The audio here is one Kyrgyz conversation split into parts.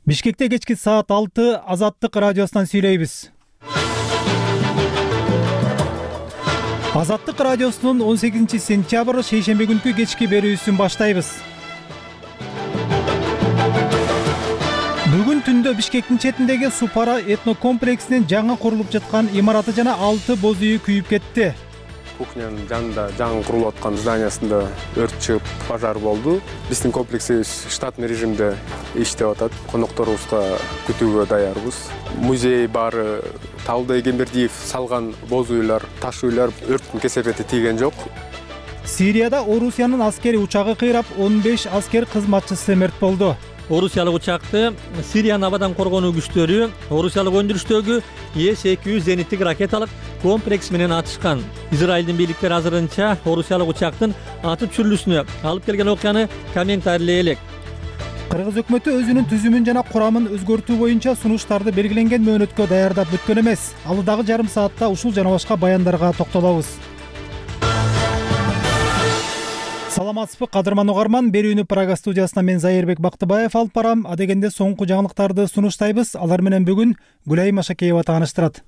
Бишкекте кечки саат 6 Азаттык радиосунан сүйлөйбүз. Азаттык радиосунун 18 сентябрь шейшемби күнкү кечки берүүсүн баштайбыз. Бүгүн түндө Бишкектин четиндеги Супара этнокомплексинин жаңы курулуп жаткан имараты жана 6 боз үйү күйүп кетти. Кухнянын жанында жаңы курулуп аткан зданиясында өрт чыгып, пожар болду. Биздин комплексибиз штатный режимде иштеп атат. Конокторубузга күтүүгө даярбыз. Музей баары Таалдай Кембердиев салган боз үйлөр, таш үйлөр өрттүн кесепети тийген жок. Сирияда Орусиянын аскери учагы кыйрап, 15 аскер кызматчысы мерт болду. Орусиялык учакты Сириянын абадан коргонуу күчтөрү Орусиялык өндүрүштөгү С-200 зениттик ракеталык комплекс менен атышкан. Израилдин бийликтери азырынча Орусиялык учактын атып түшүрүлүүсүнө алып келген окуяны комментарийлей элек. Кыргыз өкмөтү өзүнүн түзүмүн жана курамын өзгөртүү боюнча сунуштарды белгиленген мөөнөткө даярдап бүткөн эмес. Алдагы жарым саатта ушул жана башка баяндарга токтолобуз. Саламатсызбы, кадырман угарман. Берүүнү Прага студиясынан мен Зайырбек Бактыбаев алып барам. Адегенде соңку жаңылыктарды сунуштайбыз. Алар менен бүгүн Гүлайым Ашакеева тааныштырат.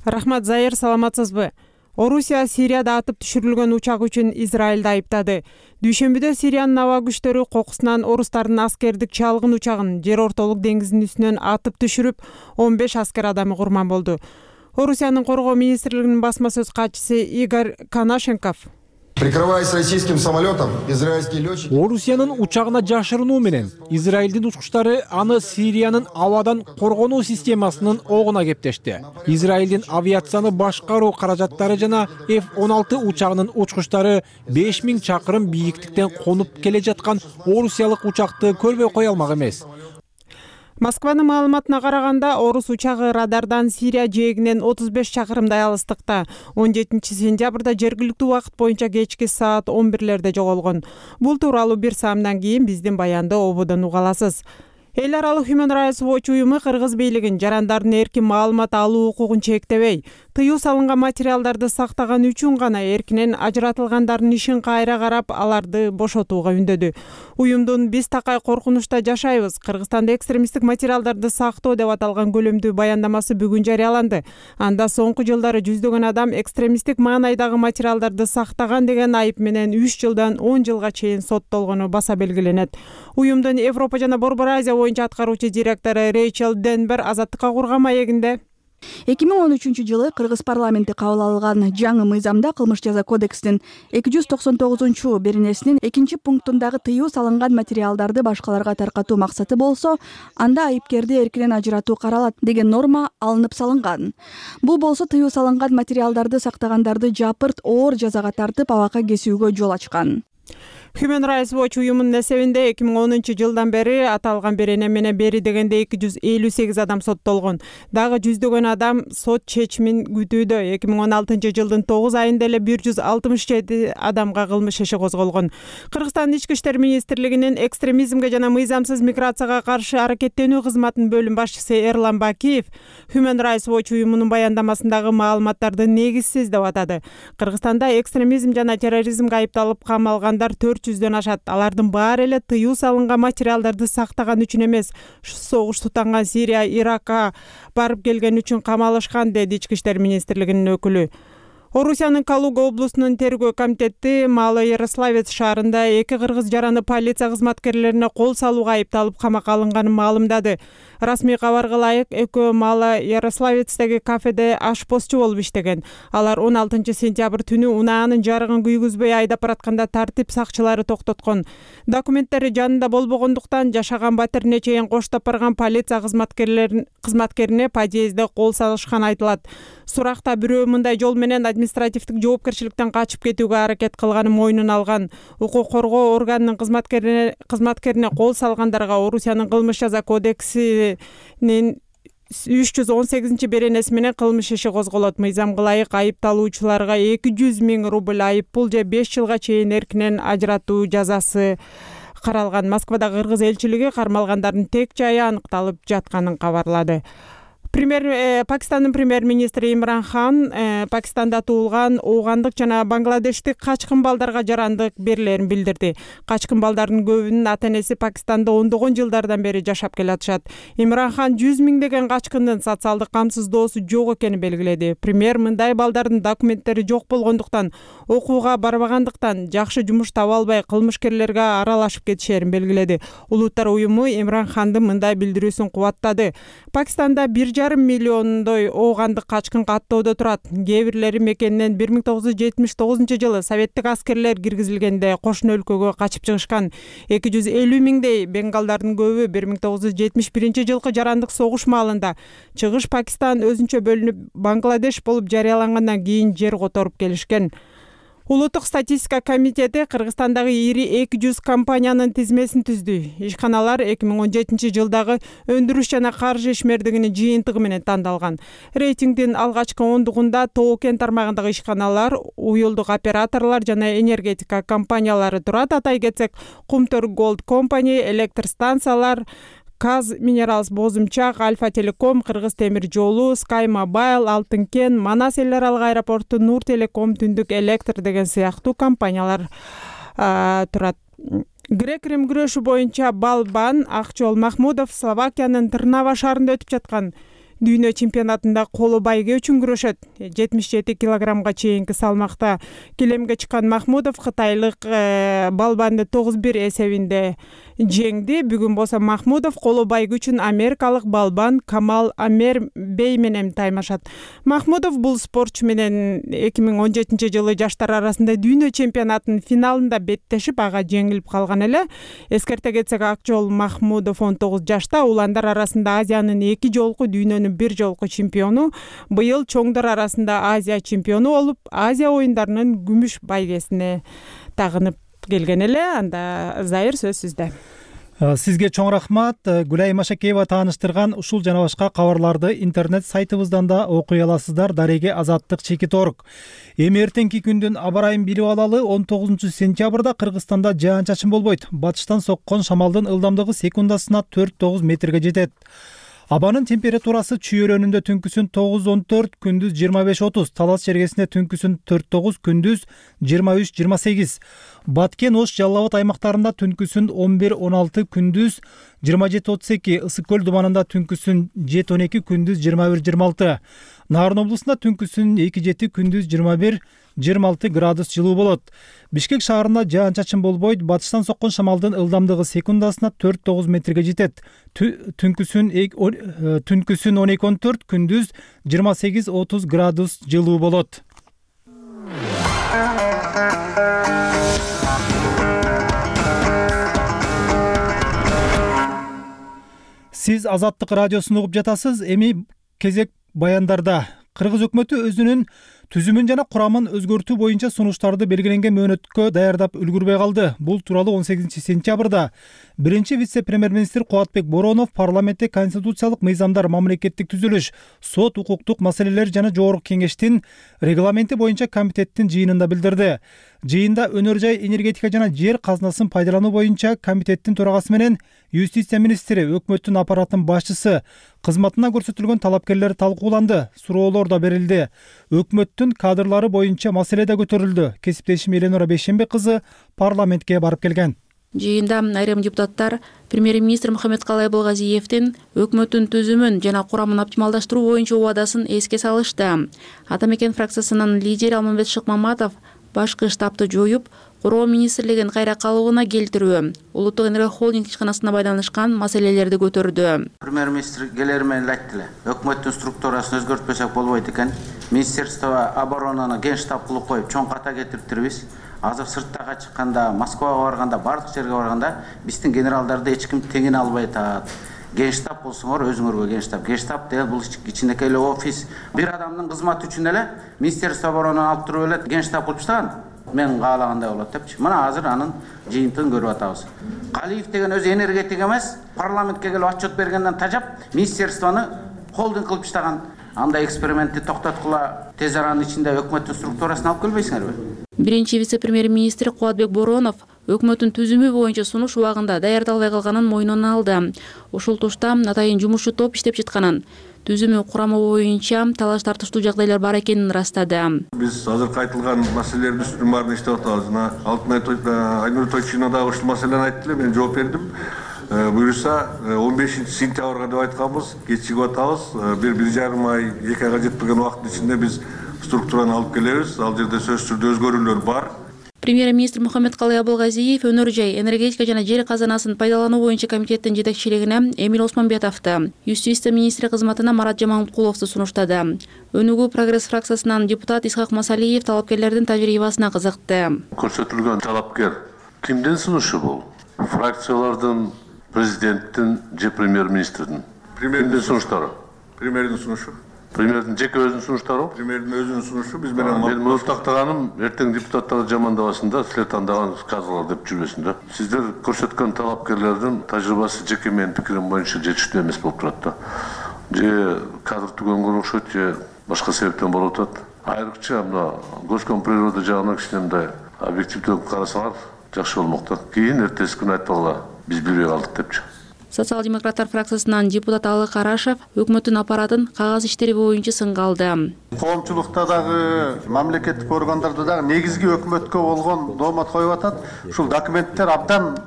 Рахмат, Зайыр, саламатсызбы? Орусия Сирияда атып түшүрүлгөн учак үчүн Израилди айыптады. Дүйшөмбүдө Сириянын аба күчтөрү кокусунан орустардын аскердик чалгын учагын Жер ортолук деңизинин үстүнөн атып түшүрүп, 15 аскер адамы курман болду. Орусиянын коргоо министрлигинин басма сөз катчысы Игорь Конашенков: Прикрываясь российским самолетом, израильские летчики... Орусиянын учагына жашырынуу менен Израилдин учкучтары аны Сириянын абадан коргонуу системасынын огуна кептешти. Израилдин авиацияны башкаруу каражаттары жана F-16 учагынын учкучтары 5000 чакырым бийиктиктен конуп келе жаткан орусиялык учакты көрбөй кое алмак эмес. Москванын маалыматына караганда, орус учагы радардан Сирия жээгинен 35 чакырымдай алыстыкта 17 сентябрда жергиликтүү убакыт боюнча кечки саат 11-лерде жоголгон. Бул тууралуу бир саамдан кийин биздин баянды ободон уга аласыз. Эл аралык Human Rights Watch уюму кыргыз бийлигин жарандардын эркин маалымат алуу укугун чектебей, тыюу салынган материалдарды сактаган үчүн гана эркинен ажыратылгандардын ишин кайра карап, аларды бошотууга үндөдү. Уюмдун «Биз такай коркунучта жашайбыз, Кыргызстанда экстремисттик материалдарды сактоо» деп аталган көлөмдүү баяндамасы бүгүн жарыяланды. Анда соңку жылдары жүздөгөн адам экстремисттик маанайдагы материалдарды сактаган деген айып менен 3 жылдан 10 жылга чейин соттолгону баса белгиленет. Уюмдун Европа жана Борбор Азия боюнча аткаруучу директору Рейчел Денбер Азаттыкка курган маегинде: 2013 жылы Кыргыз парламенти кабыл алган жаңы мыйзамда кылмыш жаза кодексинин 299 беренесинин 2-пунктундагы тыюу салынган материалдарды башкаларга таркатуу максаты болсо, анда айыпкерди эркинен ажыратуу каралат деген норма алынып салынган. Бул болсо тыюу салынган материалдарды сактагандарды жапырт оор жазага тартып, абакка кесүүгө жол ачкан. Human Rights Watch уюмунун эсебинде 2010 жылдан бери аталган берене менен бери дегенде 258 адам соттолгон. Дагы жүздөгөн адам сот чечимин күтүүдө. 2016 жылдын 9 айында эле 167 адамга кылмыш иши козголгон. Кыргызстандын ички иштер министрлигинин экстремизмге жана мыйзамсыз миграцияга каршы аракеттенүү кызматынын бөлүм башчысы Эрлан Бакиев Human Rights Watch уюмунун баяндамасындагы маалыматтарды негизсиз деп атады. Кыргызстанда экстремизм жана терроризмге айыпталып камалгандар 400дөн ашат. Алардын баары эле тыюу салынган материалдарды сактаган үчүн эмес, согуш тутанган Сирия, Иракка барып келген үчүн камалышкан, деди ички иштер министрлигинин өкүлү. Орусиянын Калуга облусунун тергөө комитети Мало-Ярославец шаарында 2 кыргыз жараны полиция кызматкерлерине кол салууга айыпталып камакка алынганын маалымдады. Расмий кабарга ылайык, экөө Мало-Ярославецтеги кафеде ашпозчу болуп иштеген. Алар 16 сентябрь түнү унаанын жарыгын күйгүзбөй айдап баратканда тартип сакчылары токтоткон. Документтери жанында болбогондуктан жашаган батирине чейин коштоп барган полиция кызматкерине подъездде кол салышкан айтылат. Суракта бирөө мындай жол менен административдик жоопкерчиликтен качып кетүүгө аракет кылганын мойнуна алган. Укук коргоо органынын кызматкерине кол салгандарга Орусиянын кылмыш жаза кодексинин 318 беренеси менен кылмыш иши козголот. Мыйзамга ылайык айыпталуучуларга 200 000 рубль айып пул же 5 жылга чейин эркинен ажыратуу жазасы каралган. Москвадагы кыргыз элчилиги кармалгандардын тек жайы аныкталып жатканын кабарлады. Пакистандын премьер-министри Имран Хан Пакистанда туулган оогандык жана бангладештик качкын балдарга жарандык берилерин билдирди. Качкын балдардын көбүнүн ата-энеси Пакистанда ондогон жылдардан бери жашап келатышат. Имран Хан 100 миңдеген качкындын социалдык камсыздоосу жок экенин белгиледи. Премьер мындай балдардын документтери жок болгондуктан, окууга барбагандыктан, жакшы жумуш таба албай кылмышкерлерге аралашып кетишерин белгиледи. Улуттар уюму Имран Хандын мындай билдирүүсүн кубаттады. Пакистанда 1,5 миллиондой оогандык качкын каттоодо турат. Кээ бирлери мекенинен 1979-жылы советтик аскерлер киргизилгенде кошуна өлкөгө качып чыгышкан. 250 миңдей бенгалдардын көбү 1971-жылкы жарандык согуш маалында Чыгыш Пакистан өзүнчө бөлүнүп Бангладеш болуп жарыялангандан кийин жер которуп келишкен. Улуттук статистика комитети Кыргызстандагы ири 200 компаниянын тизмесин түздү. Ишканалар 2017-жылдагы өндүрүш жана каржы ишмердигинин жыйынтыгы менен тандалган. Рейтингдин алгачкы ондугунда Тоо-Кен тармагындагы ишканалар, уюлдук операторлор жана энергетика компаниялары турат. Атай кетсек, Кумтөр Gold Company, электр станциялар, Каз Минералс Бозумчак, Альфа Телеком, Кыргыз темир жолу, Sky Mobile, Алтын Кен, Манас эл аралык аэропорту, Нур Телеком, Түндүк Электр деген сыяктуу компаниялар турат. Грек-Рим күрөшү боюнча балбан Акчол Махмудов Словакиянын Трнава шаарында өтүп жаткан дүйнө чемпионатында коло байге үчүн күрөшөт. 77 килограммга чейинки салмакта килемге чыккан Махмудов кытайлык балбанды 9-1 эсебинде жеңди. Бүгүн болсо Махмудов коло байге үчүн америкалык балбан Камал Амер Бей менен таймашат. Махмудов бул спортчу менен 2017-жылы жаштар арасында дүйнө чемпионатынын финалында беттешип, ага жеңилип калган эле. Эскерте кетсек, Акчол Махмудов 19 жашта, уландар арасында Азиянын 2 жолку, дүйнөнүн 1 жолку чемпиону. Быйыл чоңдор арасында Азия чемпиону болуп, Азия оюндарынын күмүш байгесине тагынып келген эле. Анда Зайыр, сөз сизде. Сизге чоң рахмат. Гүлай Машакеева тааныштырган ушул жана башка кабарларды интернет сайтыбыздан да окуй аласыздар. Дареге Азаттык Чекит.org. Эми эртеңки күндүн аба ырайын билип алалы. 19-сентябрда Кыргызстанда жаан-чачын болбойт. Батыштан соккон шамалдын ылдамдыгы секундасына 4-9 метрге жетет. Абанын температурасы чүйөрөнүндө түнкүсүн 9-14, күндүз 25-30, Талас чергесинде түнкүсүн 4-9, күндүз 23-28. Баткен, Ош, Жалал Абад аймактарында түнкүсүн 11-16, күндүз 27-32, Ысык көл дубанында түнкүсүн 7-12, күндүз 21-26. Нарын облусунда түнкүсүн 2-7, күндүз 21-26 градус жылуу болот. Бишкек шаарында жаан-чачын болбойт. Батыштан соккон шамалдын ылдамдыгы секундасына 4-9 метрге жетет. Түнкүсүн 12-14, күндүз 28-30 градус жылуу болот. Сиз Азаттык радиосун угуп жатасыз. Эми кезек баяндарда. Кыргыз өкмөтү өзүнүн түзүмүн жана курамын өзгөртүү боюнча сунуштарды белгиленген мөөнөткө даярдап үлгүрбөй калды. Бул тууралуу 18-сентябрда биринчи вице-премьер-министр Кубатбек Боронов парламентте конституциялык мыйзамдар, мамлекеттик түзүлүш, сот, укуктук маселелер жана жогорку кеңештин регламенти боюнча комитеттин жыйынында билдирди. Жыйында өнөр жай, энергетика жана жер казынасын пайдалануу боюнча комитеттин төрагасы менен юстиция министри, өкмөттүн аппаратынын башчысы, кызматына көрсөтүлгөн талапкерлер талкууланды, суроолор да берилди. Өкмөттүн кадрлары боюнча маселе да көтөрүлдү. Кесиптешим Эленора Бейшембек кызы парламентке барып келген. Жыйында айрым депутаттар премьер-министр Мухаммедкалый Абылгазиевдин өкмөттүн түзүмүн жана курамын оптималдаштыруу боюнча убадасын эске салышты. Ата мекен фракциясынын лидери Алмамбет Шыкмаматов башкы штабты жоюп, Куроо министрлигин кайра калыбына келтирүү, улуттук энергия холдинг ишканасына байланышкан маселелерди көтөрдү. Премьер-министр келери менен айттылы. Өкмөттүн структурасын өзгөртпөсөк болбойт экен. Министерство оборонаны ген штаб кылып коюп, чоң ката кетириптирбиз. Азыр сырттага чыкканда, Москвага барганда, бардык жерге барганда биздин генералдарды эч ким теңине албай атат. Генштаб болсоңор өзүңөргө генштаб. Генштаб деген бул кичинекей эле офис. Бир адамдын кызматы үчүн эле Министерство оборонаны алып туруп эле генштаб кылып таштаган. Мен каалагандай болот депчи. Мына азыр анын жыйынтыгын көрүп атабыз. Калиев деген өзү энергетик эмес, парламентке келип отчет бергенден тажап, министерствону холдинг кылып таштаган. Андай экспериментти токтоткула, тез аранын ичинде өкмөттүн структурасын алып келбейсиңерби? Биринчи вице-премьер-министр Кубатбек Боронов өкмөттүн түзүмү боюнча сунуш убагында даярдалбай калганын мойнуна алды. Ушул тушта атайын жумушчу топ иштеп жатканын, түзүмү курамы боюнча талаш тартыштуу жагдайлар бар экенин ырастады. Биз азыркы айтылган маселелердин үстүнүн баарын иштеп атабыз. Жана Айнур Тойчина дагы ушул маселени айтты эле, мен жооп бердим. Буюрса 15-сентябрга деп айтканбыз, кечигип атабыз. 1,5 ай, 2 айга жетпеген убакыттын ичинде биз структураны алып келебиз. Ал жерде сөзсүз түрдө өзгөрүүлөр бар. Премьер-министр Мухаммедкалый Абылгазиев өнөр жай, энергетика жана жер казанасын пайдалануу боюнча комитеттин жетекчилигине Эмил Осмонбетовду, Юстиция министри кызматына Марат Жаманкуловду сунуштады. Өнүгүү прогресс фракциясынан депутат Исхак Масалиев талапкерлердин тажрыйбасына кызыкты. Көрсөтүлгөн талапкер кимдин сунушу бул? Фракциялардын, президенттин же премьер-министрдин? Премьердин сунуштары. Премьердин сунушу. Премьердин жеке өзүнүн сунуштары? Премьердин өзүнүн сунушу. Биз менен мен муну тактаганым эртең депутаттарды жамандабасын да, силер тандаган казалар деп жүрбөсүн да. Сиздер көрсөткөн талапкерлердин тажрыйбасы жеке менин пикирим боюнча жетиштүү эмес болуп турат да. Же кадр түгөнгөн окшойт, же башка себептен болуп атат. Айрыкча мына Госкомприрода жагынан кичине мындай объективдүү карасаңар жакшы болмок да. Кийин эртеси күнү айтпагыла биз билбей калдык депчи. Социал-демократтар фракциясынан депутат Алы Карашев өкмөттүн аппаратын кагаз иштери боюнча сынга алды. Коомчулукта дагы, мамлекеттик органдарда дагы негизги өкмөткө болгон доомат коюп атат. Ушул документтер абдан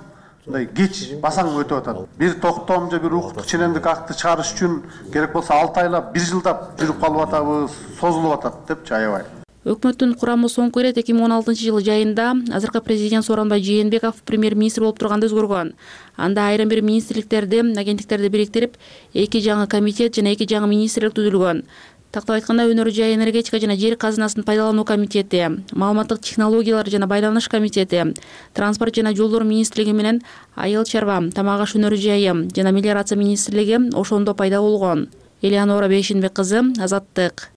мындай кеч басаң өтүп атат. Бир токтом же бир укуктук ченемдик акты чыгарыш үчүн керек болсо 6 айлап, 1 жылдап жүрүп калып атабыз, созулуп атат депчи аябай. Өкмөттүн курамы соңку ирет 2016-жылы жайында азыркы президент Сооронбай Жээнбеков премьер-министр болуп турганда өзгөргөн. Анда айрым бир министрликтерди, агенттиктерди бириктирип, 2 жаңы комитет жана 2 жаңы министрлик түзүлгөн. Тактап айтканда өнөр жай, энергетика жана жер казынасын пайдалануу комитети, маалыматтык технологиялар жана байланыш комитети, транспорт жана жолдор министрлиги менен айыл чарба, тамак аш өнөр жайы жана мелиорация министрлиги ошондо пайда болгон. Элеонора Бейшенбек кызы, Азаттык.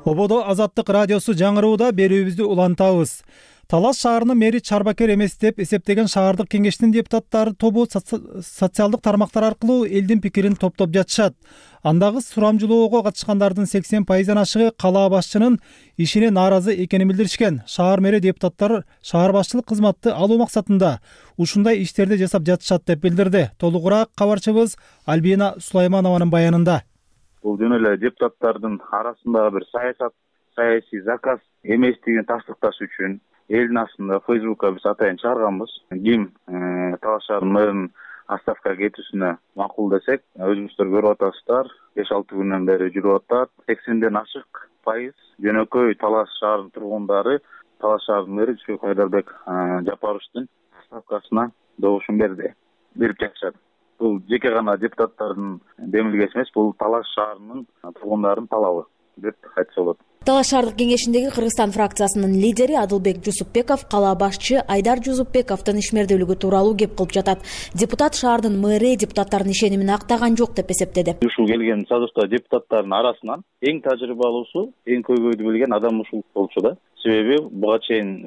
Ободо Азаттык радиосу жаңырууда берүүбүздү улантабыз. Талас шаарынын мэри чарбакер эмес деп эсептеген шаардык кеңештин депутаттары тобу социалдык тармактар аркылуу элдин пикирин топтоп жатышат. Андагы сурамжылоого катышкандардын 80%-дан ашыгы калаа башчынын ишине нааразы экенин билдиришкен. Шаар мэри депутаттар шаар башчылык кызматты алуу максатында ушундай иштерди жасап жатышат деп билдирди. Толугураак кабарчыбыз Альбина Сулайманованын баянында. Бул жөн эле депутаттардын арасындагы бир саясий заказ эместигин тастыкташ үчүн элдин астында Facebook'ка биз атайын чыгарганбыз. Ким Талас шаарынын мэринин отставкага кетүүсүнө макул десек, өзүңүздөр көрүп атасыздар, 5-6 күндөн бери жүрүп атат. 80ден ашык пайыз жөнөкөй Талас шаарынын тургундары Талас шаарынын мэри Жусупбек Айдарбек Жапаровичтин отставкасына добушун берип жатышат. Бул жеке гана депутаттардын демилгеси эмес, бул Талас шаарынын тургундарынын талабы деп айтса болот. Талас шаардык кеңешиндеги Кыргызстан фракциясынын лидери Адылбек Жусупбеков калаа башчы Айдар Жусупбековдун ишмердүүлүгү тууралуу кеп кылып жатат. Депутат шаардын мэри депутаттардын ишенимин актаган жок деп эсептеди. Ушул келген созувда депутаттардын арасынан эң тажрыйбалуусу, эң көйгөйдү билген адам ушул болчу да. Себеби буга чейин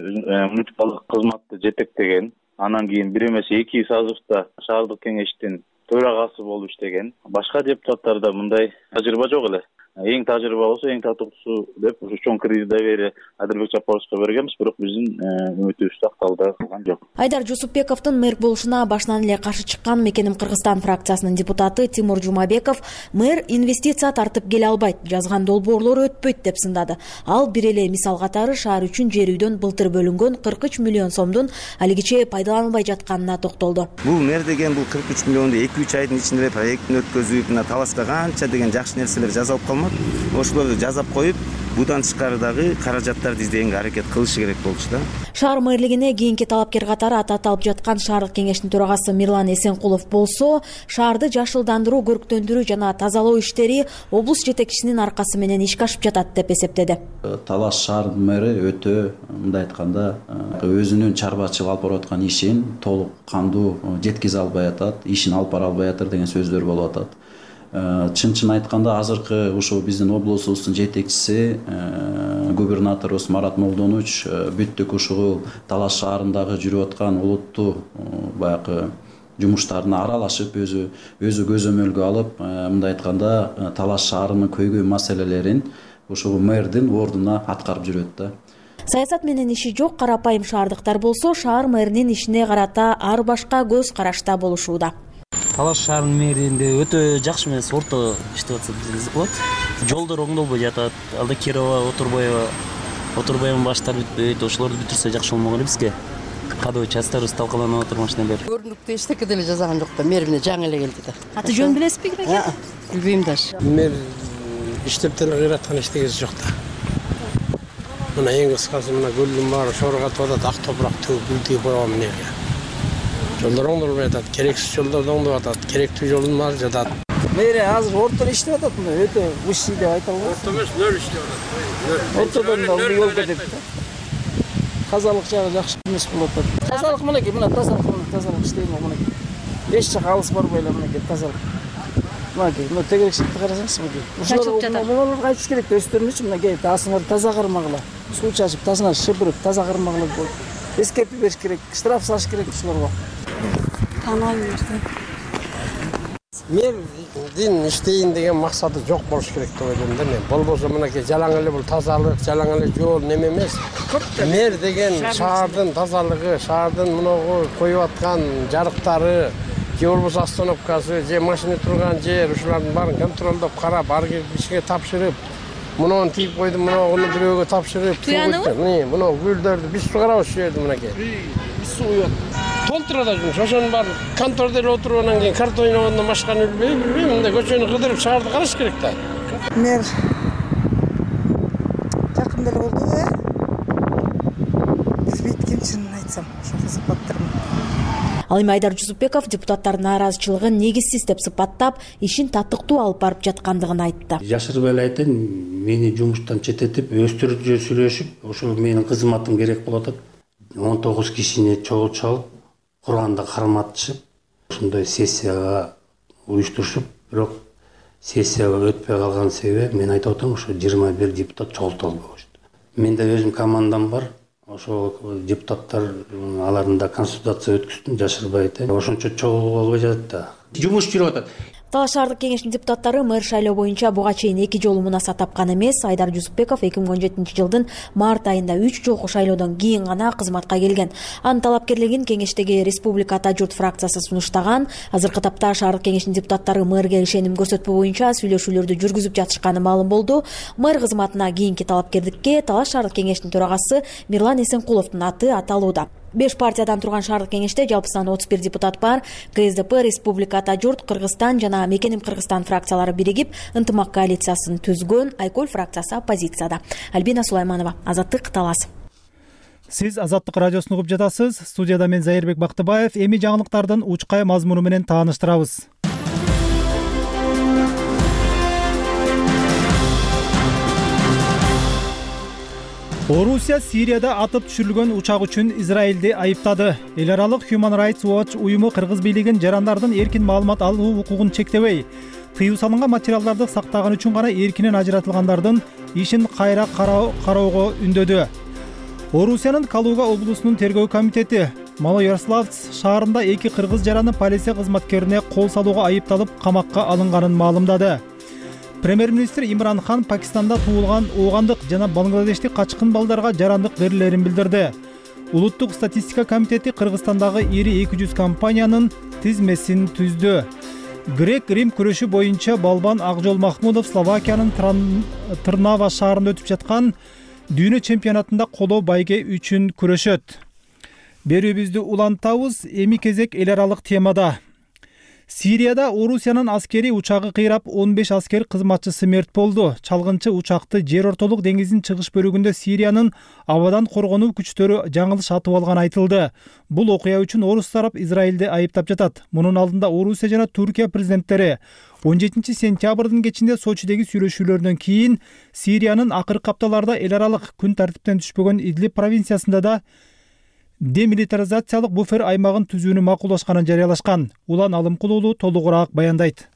муниципалдык кызматты жетектеген, анан кийин бир эмес 2 созувда шаардык кеңештин төрагасы болуп иштеген. Башка депутаттарда мындай тажрыйба жок эле. Эң тажрыйбалуусу, эң татыктуусу деп ушу чоң кредит доверие Адырбек Жапаровичке бергенбиз, бирок биздин үмүтүбүз акталды кылган жок. Айдар Жусупбековдун мэр болушуна башынан эле каршы чыккан Мекеним Кыргызстан фракциясынын депутаты Тимур Жумабеков мэр инвестиция тартып келе албайт, жазган долбоорлор өтпөйт деп сындады. Ал бир эле мисал катары шаар үчүн жер үйдөн былтыр бөлүнгөн 43 миллион сомдун алигиче пайдаланылбай жатканына токтолду. Бул мэр деген бул 43 миллионду 2-3 айдын ичинде проекттин өткөзүп, мына Таласка канча деген жакшы нерселер жасалып калмак. Ошолорду жазап коюп, будан тышкары дагы каражаттарды издегенге аракет кылышы керек болчу да. Шаар мэрлигине кийинки талапкер катары аталып жаткан шаардык кеңештин төрагасы Мирлан Эсенкулов болсо, шаарды жашылдандыруу, көрктөндүрүү жана тазалоо иштери облус жетекчисинин аркасы менен ишке ашып жатат деп эсептеди. Талас шаарынын мэри өтө, мындай айтканда, өзүнүн чарбачылык алып барып аткан ишин толук кандуу жеткизе албай атат, ишин алып бара албай атат деген сөздөр болуп атат. Чын айтканда азыркы ушул биздин облусубуздун жетекчиси губернаторубуз Марат Молдонович бүттүк ушул Талас шаарындагы жүрүп аткан улуттуу баягы жумуштарына аралашып, өзү көзөмөлгө алып, мындай айтканда Талас шаарынын көйгөй маселелерин ушул мэрдин ордуна аткарып жүрөт да. Саясат менен иши жок карапайым шаардыктар болсо, шаар мэринин ишине карата ар башка көз карашта болушууда. Талаш шаарынын мэринде өтө жакшы эмес, орто иштеп атса десеңиз болот. Жолдор оңдолбой жатат. Алда Кирова, Отурбайдын баштары бүтпөйт. Ошолорду бүтүрсө жакшы болмок эле бизге. Кадыбы частарыбыз талкаланып атыр машина бери. Көрүнүктүү эчтеке деле жазаган жок да, мэр менен жаңы эле келди да. Аты жөн билесизби киреке? Билбейм даже. Мэр иштептен кыйраткан эчтекеси жок да. Мына эң кыскасы мына гүлдүн баары шоргатып атат, ак топурак төгүп гүл тийип койгон эмнеге. Жолдор оңдолбой атат, керексиз жолдорду оңдоп атат, керектүү жолдун баары жатат. Мэр азыр орто иштеп атат, мына өтө уши деп айта албайм. Орто эмес, нөл иштеп атат. Ортодон да жол кетет. Тазалык жагы жакшы эмес болуп атат. Тазалык мынакей, мына тазалык иштейм мынакей. Эч жака алыс барбай эле мынакей тазалык. Мынакей, мына тегерекчиликти карасаңыз мынакей. Ушулар кайтыш керек өздөрүнүчү мынакей таасыңарды таза кармагыла. Суу чачып, тазына шыпырып, таза кармагыла болот. Эскертип бериш керек, штраф салыш керек ушуларга. Таанайм. Мэрдин иштейин деген максаты жок болуш керек деп ойлойм да мен. Болбосо мынакей жалаң эле бул тазалык, жалаң эле жол неме эмес. Мэр деген шаардын тазалыгы, шаардын мыногу коюп аткан жарыктары, же болбосо остановкасы, же машина турган жер, ушулардын баарын контролдоп карап, ар кишиге тапшырып, муну тийип койдум, муну бирөөгө тапшырып, муну гүлдөрдү биз сугарабыз ушул жерде мынакей. Суу толтура да жүрмүш. Ошонун баары контордо эле отуруп анан кийин карта ойногондон башканы билбейм, мындай көчөнү кыдырып шаарды караш керек да. Мэр жакында эле болду да. Билбейт ким чынын айтсам, ошого сыпаттырмын. Ал эми Айдар Жусупбеков депутаттардын нааразычылыгын негизсиз деп сыпаттап, ишин татыктуу алып барып жаткандыгын айтты. Жашырбай эле айтайын, мени жумуштан четтетип, өстөрүнчө сүйлөшүп, ошо менин кызматым керек болуп атат. 19 кишини чогултуп алып, Курганда карматышып, ушундай сессияга уюштурушуп, бирок сессияга өтпөй калган себеби мен айтып атам, ошо 21 депутат чогулта албай коюшту. Менде өзүм командам бар. Ошо депутаттар алардын да консультация өткөздүм, жашырбай айтайын. Ошончо чогулуп албай жатат да. Жумуш жүрүп атат. Талаш шаардык кеңештин депутаттары мэр шайлоо боюнча буга чейин 2 жолу мунаса тапкан эмес. Айдар Жусупбеков 2017 жылдын март айында 3 жолку шайлоодон кийин гана кызматка келген. Анын талапкерлигин кеңештеги Республика Ата журт фракциясы сунуштаган. Азыркы тапта шаардык кеңештин депутаттары мэрге ишеним көрсөтпөө боюнча сүйлөшүүлөрдү жүргүзүп жатышканы маалым болду. Мэр кызматына кийинки талапкердикке Талаш шаардык кеңештин төрагасы Мирлан Эсенкуловдун аты аталууда. 5 партиядан турган шаардык кеңеште жалпысынан 31 депутат бар. КСДП, Республика Ата журт, Кыргызстан жана Мекеним Кыргызстан фракциялары биригип, ынтымак коалициясын түзгөн. Айкөл фракциясы оппозицияда. Альбина Сулайманова, Азаттык, Талас. Сиз Азаттык радиосун угуп жатасыз. Студияда мен Зайырбек Бактыбаев. Эми жаңылыктардын учкай мазмуну менен тааныштырабыз. Орусия Сирияда атып түшүрүлгөн учак үчүн Израилди айыптады. Эл аралык Human Rights Watch уюму кыргыз бийлигин жарандардын эркин маалымат алуу укугун чектебей, тыюу салынган материалдарды сактаган үчүн гана эркинен ажыратылгандардын ишин кайра кароого үндөдү. Орусиянын Калуга облусунун тергөө комитети Малоярославц шаарында 2 кыргыз жараны полиция кызматкерине кол салууга айыпталып камакка алынганын маалымдады. Премьер-министр Имран Хан Пакистанда туулган оогандык жана Бангладештик качкын балдарга жарандык берилерин билдирди. Улуттук статистика комитети Кыргызстандагы ири 200 компаниянын тизмесин түздү. Грек-Рим күрөшү боюнча балбан Акжол Махмудов Словакиянын Трнава шаарында өтүп жаткан дүйнө чемпионатында коло байге үчүн күрөшөт. Берүүбүздү улантабыз, эми кезек эл аралык темада. Сирияда Орусиянын аскери учагы кыйрап 15 аскер кызматчысы мерт болду. Чалгынчы учакты жер ортолук деңиздин чыгыш бөлүгүндө Сириянын абадан коргонуу күчтөрү жаңылыш атып алган айтылды. Бул окуя үчүн орус тарап Израилди айыптап жатат. Мунун алдында Орусия жана Туркия президенттери 17 сентябрдын кечинде Сочидеги сүйлөшүүлөрдөн кийин Сириянын акыркы апталарда эл аралык күн тартиптен түшпөгөн Идлиб провинциясында да демилитаризациялык буфер аймагын түзүүнү макулдашканын жарыялашкан. Улан Алымкулуулу толугураак баяндайт.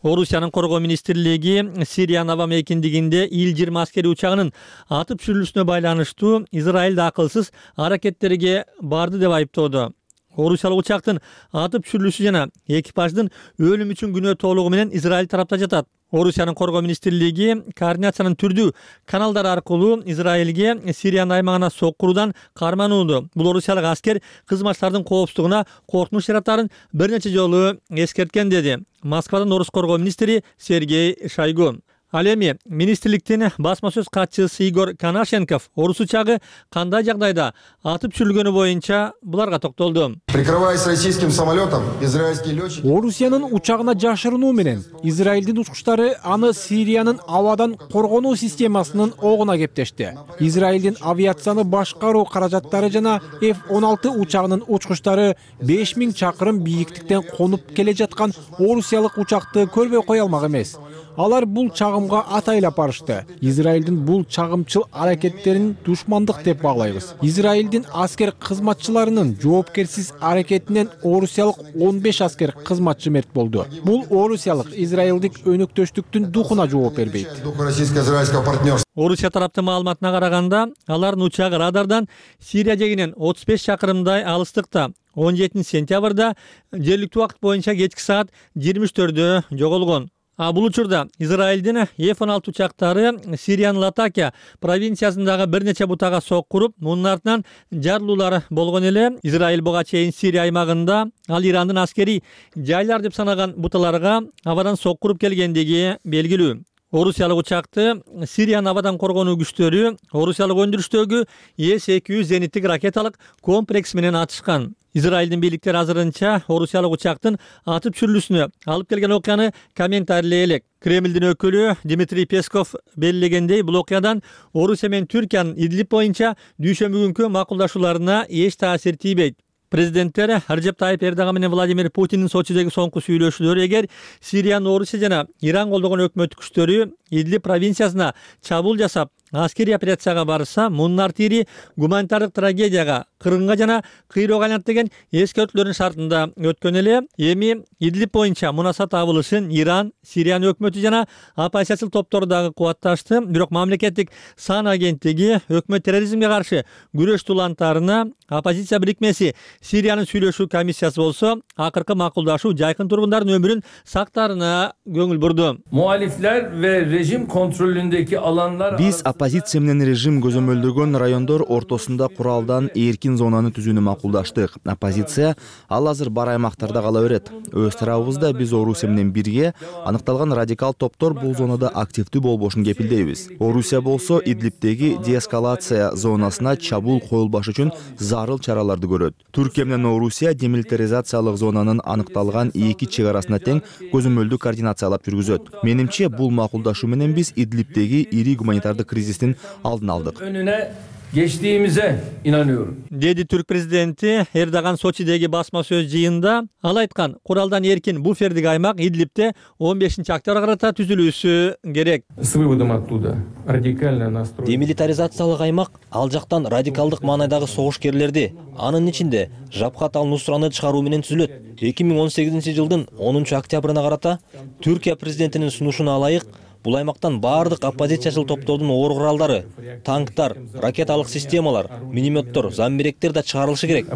Орусиянын коргоо министрлиги Сириянын аба мейкиндигинде Ил-20 аскери учагынын атып түшүрүлүшүнө байланыштуу Израилди акылсыз аракеттерге барды деп айыптоодо. орусиялык учактын атып түшүрүлүшү жана экипаждын өлүмү үчүн күнөө толугу менен Израиль тарапта жатат. Орусиянын коргоо министрлиги координациянын түрдүү каналдары аркылуу Израилге Сириянын аймагына соккуруудан карманууда. Бул орусиялык аскер кызматчылардын коопсуздугуна коркунуч жаратарын бир нече жолу эскерткен, деди Москвадан орус коргоо министри Сергей Шойгу. Ал эми министрликтин басма сөз катчысы Игорь Конашенков орус учагы кандай жагдайда атып түшүрүлгөнү боюнча буларга токтолду. Прикрываясь российским самолетом, израильский летчик... Орусиянын учагына жашырынуу менен Израилдин учкучтары аны Сириянын абадан коргонуу системасынын огуна кептешти. Израилдин авиацияны башкаруу каражаттары жана F-16 учагынын учкучтары 5000 чакырым бийиктиктен конуп келе жаткан орусиялык учакты көрбөй кое алмак эмес. Алар бул чагымга атайлап барышты. Израилдин бул чагымчыл аракеттерин душмандык деп баглайбыз. Израилдин аскер кызматчыларынын жоопкерсиз аракетинен орусиялык 15 аскер кызматчы мерт болду. Бул орусиялык израилдик өнөктөштүктүн духуна жооп бербейт. Орусия тараптын маалыматына караганда, алардын учагы радардан Сирия жегинен 35 чакырымдай алыстыкта 17 сентябрда жергиликтүү убакыт боюнча кечки саат 23-тө жоголгон. Бул учурда Израилдин F-16 учактары Сириянын Латакия провинциясындагы бир нече бутага соккуруп, мунун артынан жарылуулар болгон эле. Израиль буга чейин Сирия аймагында ал Ирандын аскери жайлар деп санаган буталарга абадан соккуруп келгендиги белгилүү. Орусиялык учакты Сириянын абадан коргонуу күчтөрү орусиялык өндүрүштөгү С-200 зениттик ракеталык комплекс менен атышкан. Израилдин бийликтери азырынча орусиялык учактын атып түшүрүлүшүнө алып келген окуяны комментарийлей элек. Кремлдин өкүлү Дмитрий Песков белгилегендей, бул окуядан Орусия менен Түркиянын Идлиб боюнча дүйшөмбү күнкү макулдашууларына эч таасир тийбейт. Президенттер Режеп Тайип Эрдоган менен Владимир Путиндин Сочидеги соңку сүйлөшүүлөрү эгер Сириянын Орусия жана Иран колдогон өкмөттүк күчтөрү Идлиб провинциясына чабуул жасап, аскерий операцияга барса, мунун артири гуманитардык трагедияга, кыргынга жана кыйроого айланат деген эскертүүлөрдүн шартында өткөн эле. Эми Идлиб боюнча мунасат табылышын Иран, Сириянын өкмөтү жана оппозициячыл топтору дагы кубатташты. Бирок мамлекеттик сан агенттиги өкмөт терроризмге каршы күрөш тулантарына оппозиция бирикмеси Сириянын сүйлөшүү комиссиясы болсо, акыркы макулдашуу жайкын тургундардын өмүрүн сактаарына көңүл бурду. Muhalifler ve rejim kontrolündeki alanlar... Биз оппозиция менен режим көзөмөлдөгөн райондор ортосунда куралдан эркин зонаны түзүүнү макулдаштык. Оппозиция ал азыр бар аймактарда кала берет. Өз тарабыбызда биз Орусия менен бирге аныкталган радикал топтор бул зонада активдүү болбошун кепилдейбиз. Орусия болсо Идлибдеги деэскалация зонасына чабуул коюлбашы үчүн зарыл чараларды көрөт. Түркия менен Орусия демилитаризациялык зонанын аныкталган эки чек арасына тең көзөмөлдүү координациялап жүргүзөт. Менимче бул макулдашуу менен биз Идлибдеги ири гуманитардык кризистин алдын алдык. Önüne geçtiğimize inanıyorum. Dedi Türk prezidenti Erdogan Soçidegi basma söz жыйында. Ал айткан, куралдан эркин буфердик аймак Идлибде 15-октябрга карата түзүлүүсү керек. С выводом оттуда радикально настроен. Демилитаризациялык аймак ал жактан радикалдык маанайдагы согушкерлерди, анын ичинде Жабхат ал-Нусраны чыгаруу менен түзүлөт. 2018-жылдын 10-октябрына карата Түркия президентинин сунушуна ылайык бул аймактан баардык оппозициячыл топтордун оор куралдары, танктар, ракеталык системалар, минометтор, замбиректер да чыгарылышы керек.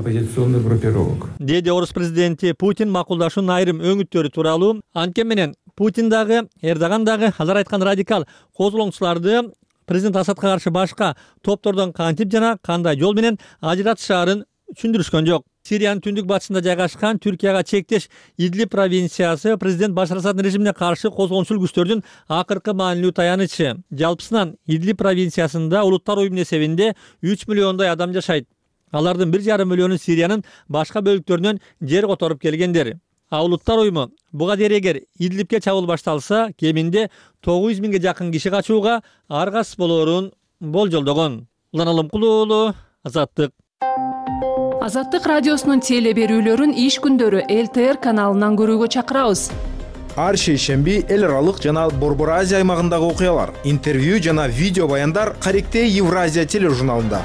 Деди орус президенти Путин макулдашуунун айрым өңүттөрү тууралуу. Анткени менен Путин дагы, Эрдоган дагы алар айткан радикал козголоңчуларды президент Асадка каршы башка топтордон кантип жана кандай жол менен ажыратышаарын түшүндүрүшкөн жок. Сириянын түндүк батышында жайгашкан Түркияга чектеш Идлиб провинциясы президент Башар Асаддын режимине каршы козголоңчул күчтөрдүн акыркы маанилүү таянычы. Жалпысынан Идлиб провинциясында улуттар уюмунун эсебинде 3 миллиондой адам жашайт. Алардын 1,5 миллиону Сириянын башка бөлүктөрүнөн жер которуп келгендер. Улуттар уюму буга дейин эгер Идлибке чабуул башталса, кеминде 900 миңге жакын киши качууга аргасыз болоорун болжолдогон. Улан Алымкулуу уулу, Азаттык. Азаттык радиосунун теле берүүлөрүн иш күндөрү ЛТР каналынан көрүүгө чакырабыз. Ар шейшемби эл аралык жана Борбор Азия аймагындагы окуялар, интервью жана видео баяндар Каректей Евразия тележурналында.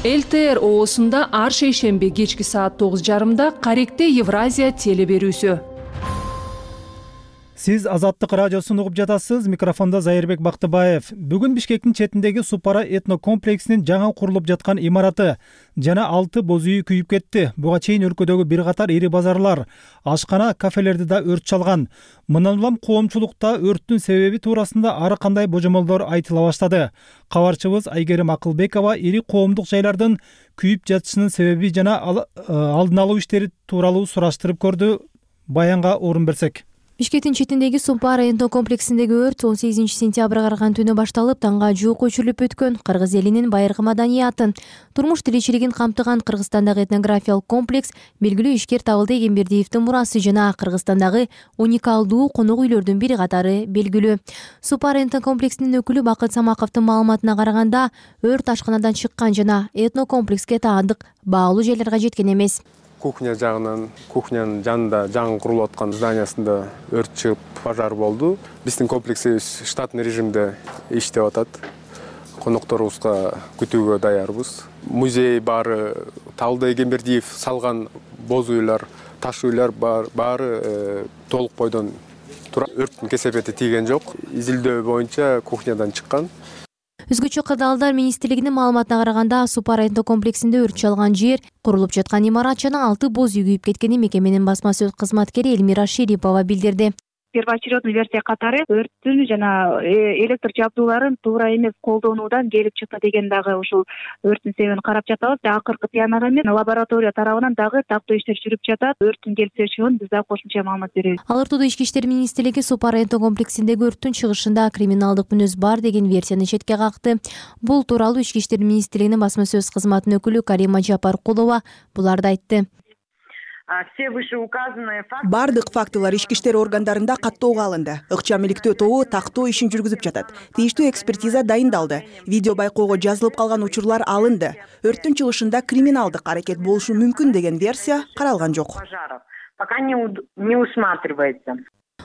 ЛТР оосунда ар шейшемби кечки саат 9:30 Каректей Евразия теле берүүсү. Сиз Азаттык радиосун угуп жатасыз. Микрофондо Зайырбек Бактыбаев. Бүгүн Бишкектин четиндеги Супара этно комплексинин жаңа курулуп жаткан имараты жана 6 боз үйү күйүп кетти. Буга чейин өлкөдөгү бир катар ири базарлар, ашкана, кафелерди да өрт чалган. Мындан улам коомчулукта өрттүн себеби туурасында ары кандай божомолдор айтыла баштады. Кабарчыбыз Айгерим Акылбекова ири коомдук жайлардын күйүп жатышынын себеби жана алдын алуу иштери тууралуу сураштырып көрдү. Баянга орун берсек. Бишкектин четиндеги Супара этно комплексиндеги өрт 18 сентябрга караган түнү башталып, таңга жуук өчүрүлүп өткөн. Кыргыз элинин байыркы маданиятын, турмуш тиричилигин камтыган Кыргызстандагы этнографиялык комплекс белгилүү ишкер Табылды Эгембердиевдин мурасы жана Кыргызстандагы уникалдуу конок үйлөрдүн бир катары белгилүү. Супара этно комплексинин өкүлү Бакыт Самаковдун маалыматына караганда, өрт ашканадан чыккан жана этно комплекске таандык баалуу жайларга жеткен эмес. Кухня жагынан, кухнянын жанында жаңы курулуп аткан зданиясында өрт чыгып, пожар болду. Биздин комплексибиз штатный режимде иштеп атат. Конокторубузга күтүүгө даярбыз. Музей баары Табылды Эгембердиев салган боз үйлөр, таш үйлөр баары толук бойдон турат. Өрттүн кесепети тийген жок. Изилдөө боюнча кухнядан чыккан. Өзгөчө кырдаалдар министрлигинин маалыматына караганда, Супара этно комплексинде өрт чалган жер, курулуп жаткан имарат жана 6 боз үй күйүп кеткени мекеменин басма сөз кызматкери Элмира Шерипова билдирди. Первоочередный версия катары өрттүн жана электр жабдууларын туура эмес колдонуудан келип чыкты деген дагы ушул өрттүн себебин карап жатабыз. Акыркы тыянак эмес, лаборатория тарабынан дагы тактоо иштер жүрүп жатат. Өрттүн келип чыгышын биз дагы кошумча маалымат беребиз. Ал ортодо Ички иштер министрлиги Супара этно комплексиндеги өрттүн чыгышында криминалдык мүнөз бар деген версияны четке какты. Бул тууралуу Ички иштер министрлигинин басма сөз кызматынын өкүлү Карима Жапаркулова буларды айтты. Бардык фактылар ички иштер органдарында каттоого алынды. Ыкчам иликтөө тобу тактоо ишин жүргүзүп жатат. Тийиштүү экспертиза дайындалды. Видео байкоого жазылып калган учурлар алынды. Өрттүн чыгышында криминалдык аракет болушу мүмкүн деген версия каралган жок. Пока не усматривается.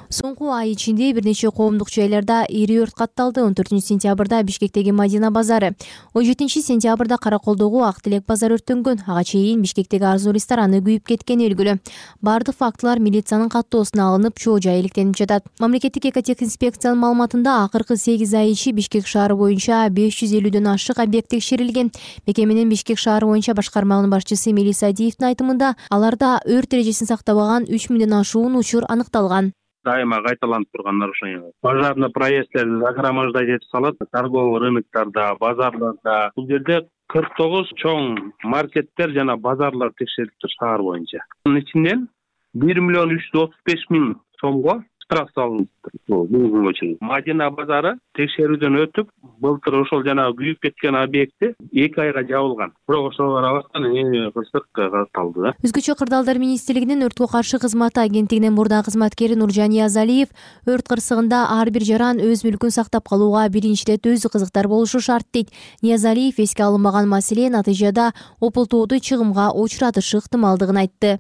Соңку ай ичинде бир нече коомдук жайларда ири өрт катталды. 14 сентябрда Бишкектеги Мадина базары, 17 сентябрда Караколдогу Ак Тилек базары өрттөнгөн. Ага чейин Бишкектеги Арзу рестораны күйүп кеткени белгилүү. Бардык фактылар милициянын каттоосуна алынып, чоо жай иликтенип жатат. Мамлекеттик экотехинспекциянын маалыматында акыркы 8 ай ичи Бишкек шаары боюнча 550дөн ашык объект текшерилген. Мекеменин Бишкек шаары боюнча башкарманын башчысы Мелис Адиевдин айтымында, аларда өрт эрежесин сактабаган 3000ден ашуун учур аныкталган. Дайыма кайталанып турган нарушение. Пожарный проездтерди загромождать этип салат, торговый рыноктарда, базарларда. Бул жерде 49 чоң маркеттер жана базарлар текшерилиптир шаар боюнча. Анын ичинен 1 миллион 335 миң сомго штраф салыныптыр. Бул күнгө чейин. Мадина базары текшерүүдөн өтүп, былтыр ошол жана күйүп кеткен объекти 2 айга жабылган. Бирок ошого карабастан кырсык катталды. Өзгөчө кырдаалдар министрлигинин өрткө каршы кызматы агенттигинин мурда кызматкери Нуржан Ниязалиев өрт кырсыгында ар бир жаран өз мүлкүн сактап калууга биринчи ирет өзү кызыктар болушу шарт дейт. Ниязалиев эске алынбаган маселе натыйжада опултооду чыгымга учуратышы ыктымалдыгын айтты.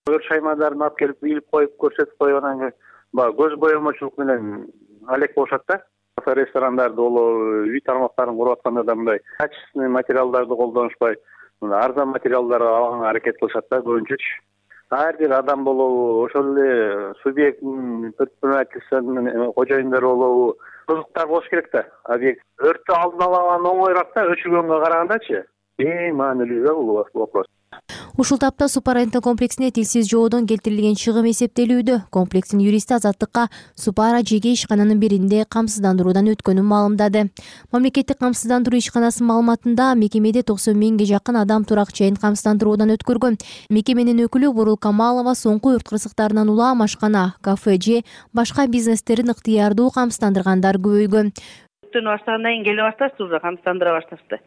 Өрт шаймандарын алып келип илип коюп көрсөтүп коюп анан көз боемочулук менен алек болушат да. Кафе ресторандарда болобу, үй тармактарын куруп атканда да мындай качественный материалдарды колдонушпай, арзан материалдарды алганга аракет кылышат да көбүнчөчү. Ар бир адам болобу, ошол эле субъекттин предпринимательствонун кожоюндары болобу, кызыктар болуш керек да. Объект өрттү алдын алган оңоюраак да, өчүргөнгө карагандачы. Эң маанилүү да бул вопрос. Ушул тапта Супара этно комплексине тилсиз жоодон келтирилген чыгым эсептелүүдө. Комплекстин юристи Азаттыкка Супара жеке ишкананын биринде камсыздандыруудан өткөнүн маалымдады. Мамлекеттик камсыздандыруу ишканасынын маалыматында мекемеде 90 миңге жакын адам турак жайын камсыздандыруудан өткөргөн. Мекеменин өкүлү Бурул Камалова соңку өрт кырсыктарынан улам ашкана, кафе же башка бизнестерин ыктыярдуу камсыздандыргандар көбөйгөн. Өрттүн баштагандан кийин келе башташты, уже камсыздандыра башташты.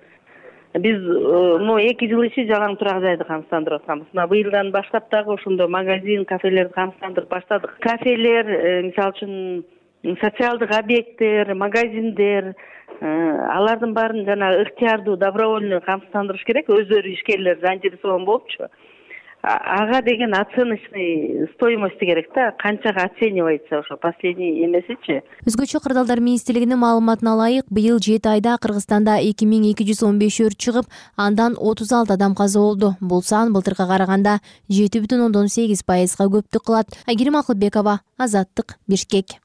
Биз 2 жыл ичи жалаң турак жайды камсыздандырып атканбыз. Быйылдан баштап дагы ошондо магазин, кафелерди камсыздандырып баштадык. Кафелер, мисалы үчүн социалдык объекттер, магазиндер, алардын баарын жана ыктыярдуу добровольный камсыздандырыш керек. Өздөрү ишкерлер занятосован болупчу. ага деген оценочный стоимости керек да, канчага оценивается ошо последний эмесичи. Өзгөчө кырдаалдар министрлигинин маалыматына ылайык, быйыл 7 айда Кыргызстанда 2215 өрт чыгып, андан 36 адам каза болду. Бул сан былтыркыга караганда 7,8%га көптүк кылат. Айгерим Акылбекова, Азаттык, Бишкек.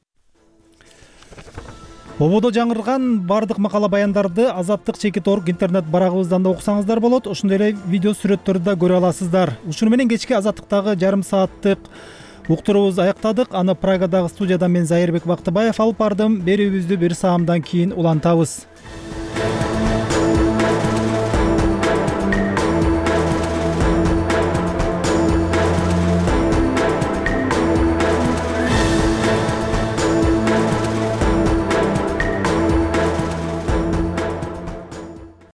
Ободо жаңырган бардык макала баяндарды Азаттык.org интернет барагыбыздан да окусаңыздар болот. Ошондой эле видео сүрөттөрдү да көрө аласыздар. Ушуну менен кечки Азаттыктагы жарым сааттык уктуруубузду аяктадык. Аны Прагадагы студиядан мен Зайырбек Бактыбаев алып бардым. Берүүбүздү бир саамдан кийин улантабыз.